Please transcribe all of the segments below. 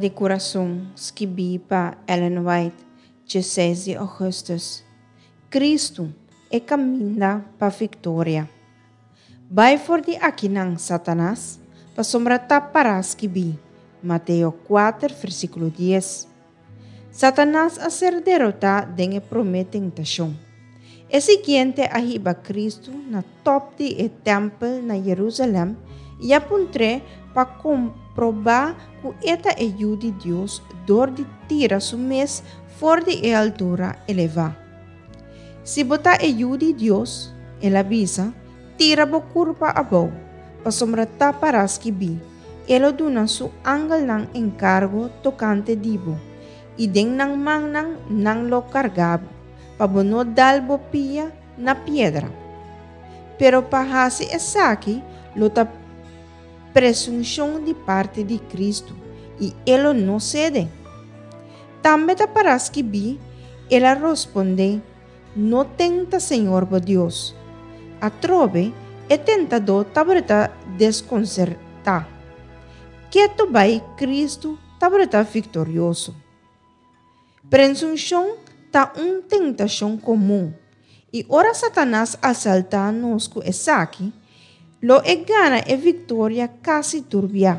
di kurason, skibí pa Ellen White, 16 di ougùstùs. Kristu, e kaminda pa viktoria. Bai for di akinan, Satanas, pasobra ta pará skibí, Mateo 4, versíkulo 10. Satanas a ser derotá den e promé tentashon. E siguiente a hiba Kristu na tòp di e tèmpel na Yerusalèm i a puntr'é pa komprobá ku e ta e Yu di Dios dor di tira su mes for di e altura elevá. Si bo ta e Yu di Dios, el a bisa, tira bo kurpa abou, pasobra ta pará skibí, E lo duna su angelnan enkargo tokante di bo, i den nan mannan nan lo karga bo, pa bo no dal bo pia na piedra. Pero pa hasi esaki lo ta presunshon di parti di Kristu, i e lo no sede. Tambe ta pará skibí, El a rospondé, No tenta Señor bo Dios. Atrobe, e tentadó tabata deskonsertá. Ketu bai Kristu tabata viktorioso. Presunshon ta un tentashon komun, i ora Satanas asaltá nos ku esaki, lo e gana e viktoria kasi tur bia.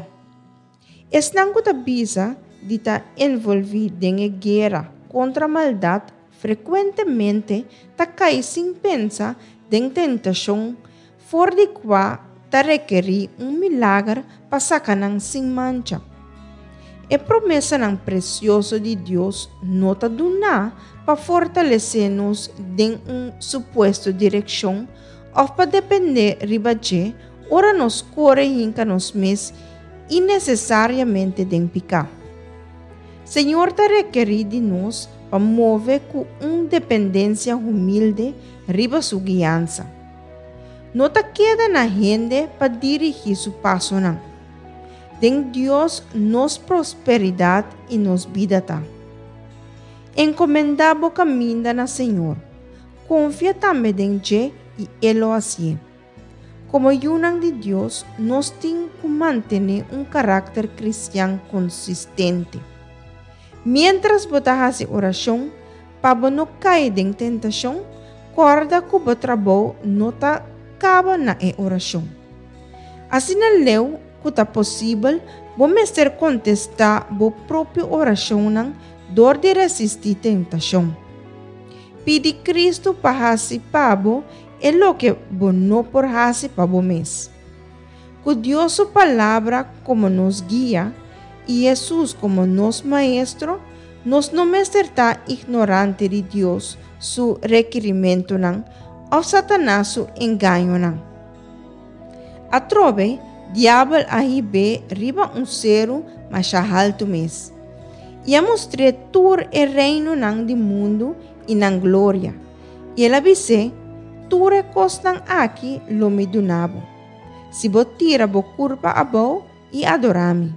Esnan ku ta bisa di ta envolví den e guera kontra maldat frekuentemente ta kai sin pensa den tentashon for di kua ta rekerí un milager pa saka nan sin mancha. E promesanan presioso di Dios no ta duná pa fortalesé nos den un supuesto direkshon òf pa dependé riba dje ora nos kore hinka nos mes innesesariamente den piká. Señor ta rekerí di nos pa move ku un dependensia humilde riba su guiansa. No ta keda na hende pa dirigí su pasonan. Den Dios nos prosperidat i nos bida ta. Enkomendá bo kaminda na Señor, konfia tambe den dje i E lo hasié. Komo yunan di Dios, nos tin ku mantené un karakter kristian konsistente. Miéntras bo ta hasi orashon pa bo no kai den tentashon, kòrda ku bo trabou no ta kaba na e orashon. Asina leu ku ta posibel, bo mester kontestá bo propio orashonnan dor di resistí tentashon. Pidi Kristu pa hasi pa bo e loke bo no por hasi pa bo mes. Ku Dios su Palabra komo nos guia i Hesus komo nos Maestro, nos no mester ta ignorante di Dios su rekirimentunan òf Satanas su engañonan. Atrobe, Diabel a hib'é riba un seru masha haltu mes, i a mustr'é tur e reinonan di mundu i nan gloria. I el a bis'é, Tur e kosnan aki lo mi duna bo, si bo tira bo kurpa abou i adorá mi.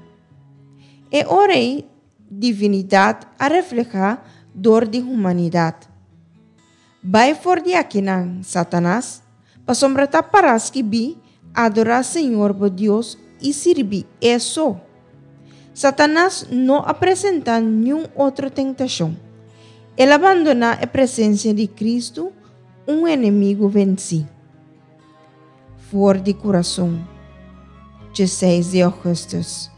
E ora ei divinidat a reflehá dor di humanidat. Bai for di akinan, Satanas, pasobra ta pará skibí, Adorá Señor bo Dios i sirbi E so. Satanas no a presentá niun otro tentashon. El a bandoná e presensia di Kristu, un enemigu vensí. For di kurason, 16 di ougùstùs.